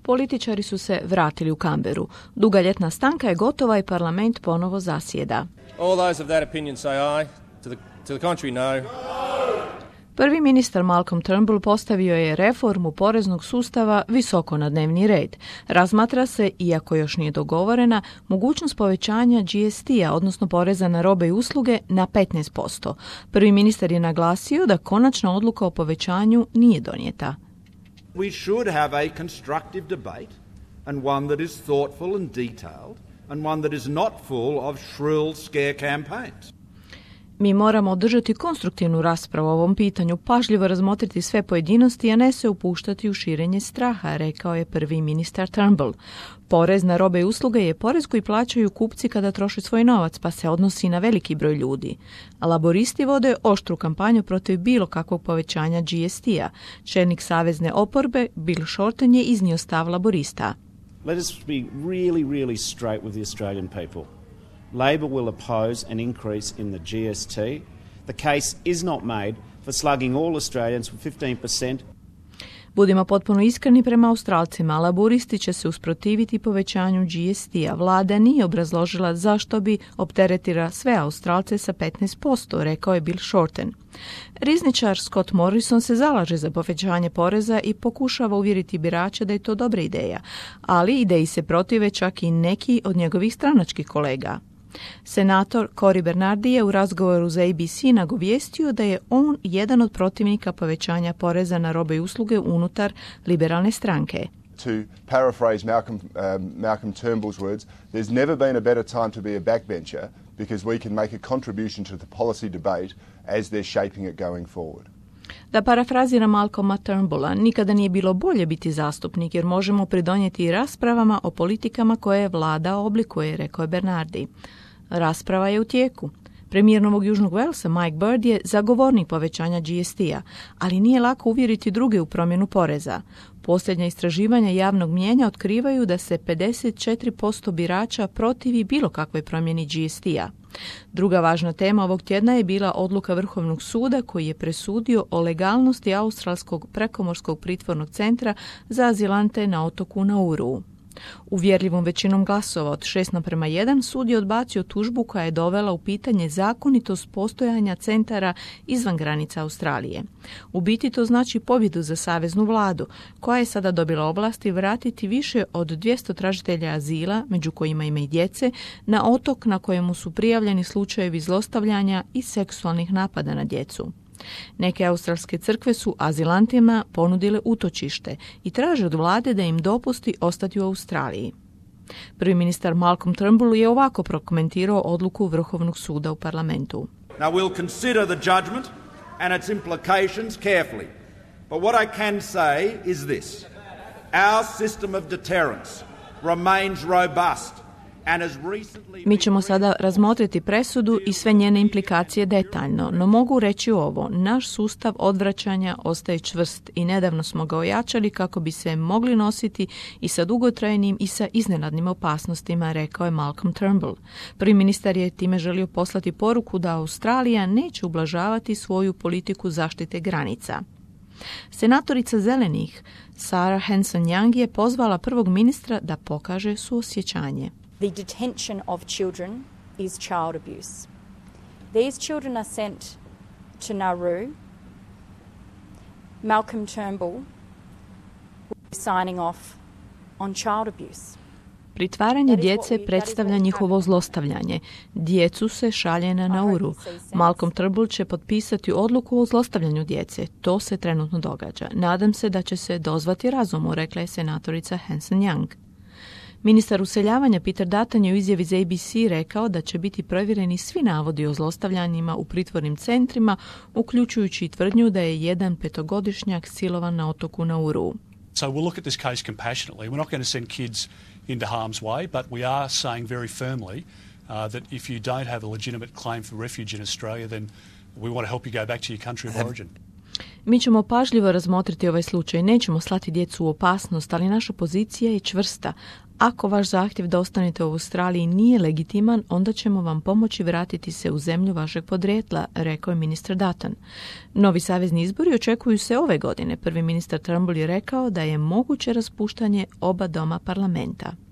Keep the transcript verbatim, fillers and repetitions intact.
Političari su se vratili u Canberru. Duga ljetna stanka je gotova i parlament ponovo zasjeda. All those of that opinion say aye. To the, to the contrary, no. Prvi ministar Malcolm Turnbull postavio je reformu poreznog sustava visoko na dnevni red. Razmatra se, iako još nije dogovorena, mogućnost povećanja G S T-a, odnosno poreza na robe i usluge, na petnaest posto. Prvi ministar je naglasio da konačna odluka o povećanju nije donijeta. We should have a constructive debate and one that is thoughtful and detailed and one that is not full of shrill scare campaigns. Mi moramo održati konstruktivnu raspravu o ovom pitanju, pažljivo razmotriti sve pojedinosti, a ne se upuštati u širenje straha, rekao je prvi ministar Turnbull. Porez na robe i usluge je porez koji plaćaju kupci kada troše svoj novac, pa se odnosi na veliki broj ljudi. Laboristi vode oštru kampanju protiv bilo kakvog povećanja G S T-a. Čelnik savezne oporbe, Bill Shorten, je iznio stav laborista. Let us be really, really straight with the Australian people. Labor will oppose an increase in the G S T. The case is not made for slugging all Australians for fifteen percent. Budimo potpuno iskreni prema Australcima, laburisti će se usprotiviti povećanju G S T-a. Vlada nije obrazložila zašto bi opteretila sve Australce sa petnaest posto, rekao je Bill Shorten. Rizničar Scott Morrison se zalaže za povećanje poreza i pokušava uvjeriti birače da je to dobra ideja, ali ideji se protive čak i neki od njegovih stranačkih kolega. Senator Cory Bernardi je u razgovoru za A B C nagovijestio da je on jedan od protivnika povećanja poreza na robe i usluge unutar liberalne stranke. To paraphrase Malcolm, um, Malcolm Turnbull's words, there's never been a better time to be a backbencher because we can make a contribution to the policy debate as they're shaping it going forward. Da parafrazira Malcolma Turnbulla, nikada nije bilo bolje biti zastupnik jer možemo pridonijeti raspravama o politikama koje vlada oblikuje, rekao je Bernardi. Rasprava je u tijeku. Premijer Novog Južnog Walesa Mike Bird je zagovornik povećanja G S T-a, ali nije lako uvjeriti druge u promjenu poreza. Posljednja istraživanja javnog mnijenja otkrivaju da se pedeset četiri posto birača protivi bilo kakvoj promjeni G S T-a. Druga važna tema ovog tjedna je bila odluka Vrhovnog suda koji je presudio o legalnosti australskog prekomorskog pritvornog centra za azilante na otoku Nauru. Uvjerljivom većinom glasova od šest naprema jedan sud je odbacio tužbu koja je dovela u pitanje zakonitost postojanja centara izvan granica Australije. U biti to znači pobjedu za saveznu vladu, koja je sada dobila ovlasti vratiti više od dvjesto tražitelja azila, među kojima ima i djece, na otok na kojemu su prijavljeni slučajevi zlostavljanja i seksualnih napada na djecu. Neke australske crkve su azilantima ponudile utočište i traže od vlade da im dopusti ostati u Australiji. Prvi ministar Malcolm Turnbull je ovako prokomentirao odluku Vrhovnog suda u parlamentu. Now we'll consider the judgment and its implications carefully. But what I can say is this. Our system of deterrence remains robust. Mi ćemo sada razmotriti presudu i sve njene implikacije detaljno, no mogu reći ovo, naš sustav odvraćanja ostaje čvrst i nedavno smo ga ojačali kako bi se mogli nositi i sa dugotrajnim i sa iznenadnim opasnostima, rekao je Malcolm Turnbull. Prvi ministar je time želio poslati poruku da Australija neće ublažavati svoju politiku zaštite granica. Senatorica Zelenih Sarah Hanson-Young je pozvala prvog ministra da pokaže suosjećanje. The detention of children is child abuse. These children are sent to Nauru. Malcolm Turnbull will be signing off on child abuse. Pritvaranje djece predstavlja njihovo zlostavljanje. Djecu se šalje na Nauru. Malcolm Turnbull će potpisati odluku o zlostavljanju djece. To se trenutno događa. Nadam se da će se dozvati razumu, rekla je senatorica Hanson-Young. Ministar useljavanja Peter Dutton je u izjavi za A B C rekao da će biti provjereni svi navodi o zlostavljanjima u pritvornim centrima, uključujući i tvrdnju da je jedan petogodišnjak silovan na otoku Nauru. So we'll look at this case compassionately. We're not going to send kids into harm's way, but we are saying very firmly uh, that if you don't have a legitimate claim for refuge in Australia, then we want to help you go back to your country of origin. Mi ćemo pažljivo razmotriti ovaj slučaj. Nećemo slati djecu u opasnost, ali naša pozicija je čvrsta. Ako vaš zahtjev da ostanete u Australiji nije legitiman, onda ćemo vam pomoći vratiti se u zemlju vašeg podrijetla, rekao je ministar Dutton. Novi savezni izbori očekuju se ove godine. Prvi ministar Turnbull je rekao da je moguće raspuštanje oba doma parlamenta.